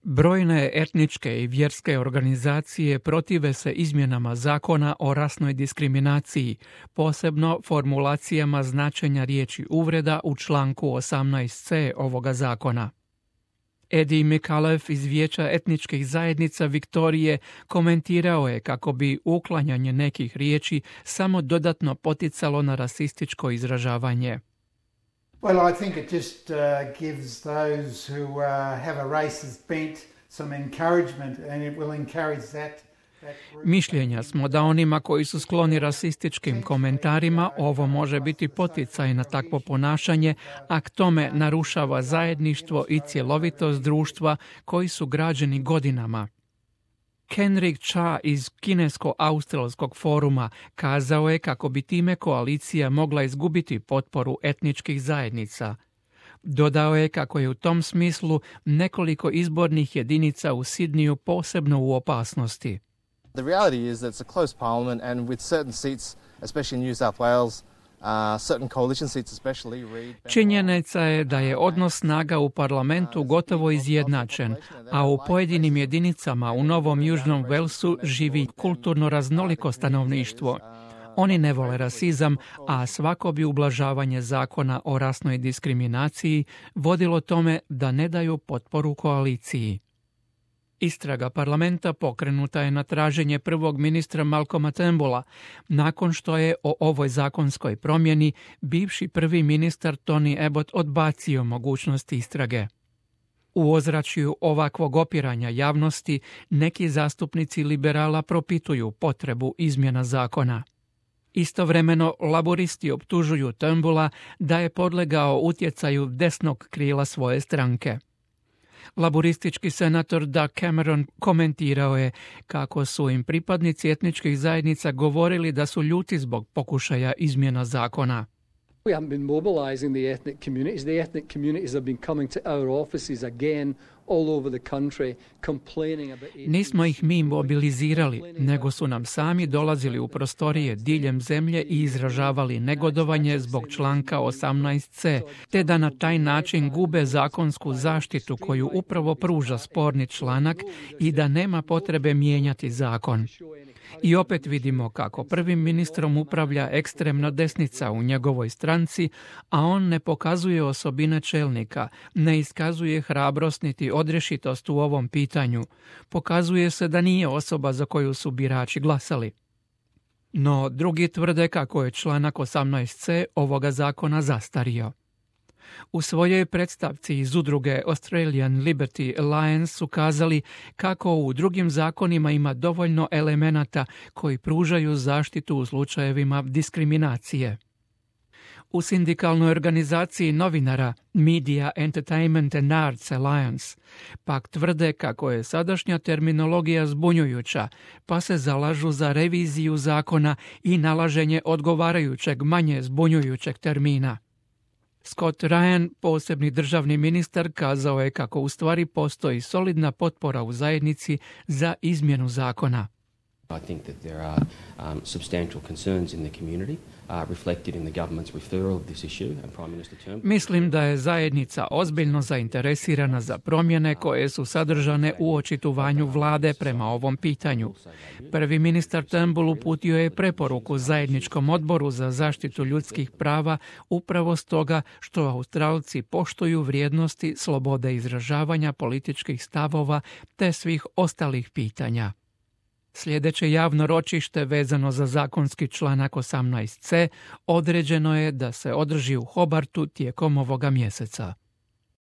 Brojne etničke i vjerske organizacije protive se izmjenama zakona o rasnoj diskriminaciji, posebno formulacijama značenja riječi uvreda u članku 18c ovoga zakona. Eddie McAuliffe iz Vijeća etničkih zajednica Viktorije komentirao je kako bi uklanjanje nekih riječi samo dodatno poticalo na rasističko izražavanje. Well, I think it just gives those who have a racist bent some encouragement, and it will encourage that. Mišljenja smo da onima koji su skloni rasističkim komentarima ovo može biti poticaj na takvo ponašanje, a k tome narušava zajedništvo i cjelovitost društva koji su građeni godinama. Kenrick Cha iz Kinesko-australskog foruma kazao je kako bi time koalicija mogla izgubiti potporu etničkih zajednica. Dodao je kako je u tom smislu nekoliko izbornih jedinica u Sidniju posebno u opasnosti. The reality is that it's a close parliament, and with certain seats, especially in New South Wales, certain coalition seats, especially Reid. Činjenica je da je odnos snaga u parlamentu gotovo izjednačen, a u pojedinim jedinicama u Novom Južnom Walesu živi kulturno raznoliko stanovništvo. Oni ne vole rasizam, a svako bi ublažavanje zakona o rasnoj diskriminaciji vodilo tome da ne daju potporu koaliciji. Istraga parlamenta pokrenuta je na traženje prvog ministra Malcolma Turnbulla, nakon što je o ovoj zakonskoj promjeni bivši prvi ministar Tony Abbott odbacio mogućnost istrage. U ozračju ovakvog opiranja javnosti neki zastupnici liberala propituju potrebu izmjena zakona. Istovremeno, laboristi optužuju Turnbulla da je podlegao utjecaju desnog krila svoje stranke. Laboristički senator Doug Cameron komentirao je kako su im pripadnici etničkih zajednica govorili da su ljuti zbog pokušaja izmjena zakona. We haven't been mobilizing the ethnic communities. The ethnic communities have been coming to our offices again all over the country complaining about... Nismo ih mi mobilizirali, nego su nam sami dolazili u prostorije diljem zemlje i izražavali negodovanje zbog članka 18c, te da na taj način gube zakonsku zaštitu koju upravo pruža sporni članak i da nema potrebe mijenjati zakon. I opet vidimo kako prvim ministrom upravlja ekstremna desnica u njegovoj stranci, a on ne pokazuje osobine čelnika, ne iskazuje hrabrost niti odrješitost u ovom pitanju. Pokazuje se da nije osoba za koju su birači glasali. No, drugi tvrde kako je članak 18c ovoga zakona zastario. U svojoj predstavci iz udruge Australian Liberty Alliance su kazali kako u drugim zakonima ima dovoljno elemenata koji pružaju zaštitu u slučajevima diskriminacije. U sindikalnoj organizaciji novinara Media Entertainment and Arts Alliance pak tvrde kako je sadašnja terminologija zbunjujuća, pa se zalažu za reviziju zakona i nalaženje odgovarajućeg manje zbunjujućeg termina. Scott Ryan, posebni državni ministar, kazao je kako u stvari postoji solidna potpora u zajednici za izmjenu zakona. I think that there are substantial concerns in the community reflected in the government's referral of this issue and Prime Minister Turnbull. Mislim da je zajednica ozbiljno zainteresirana za promjene koje su sadržane u očitovanju vlade prema ovom pitanju. Prvi ministar Turnbull uputio je preporuku zajedničkom odboru za zaštitu ljudskih prava upravo stoga što Australci poštuju vrijednosti slobode izražavanja političkih stavova te svih ostalih pitanja. Sljedeće javno ročište vezano za zakonski članak 18c određeno je da se održi u Hobartu tijekom ovoga mjeseca.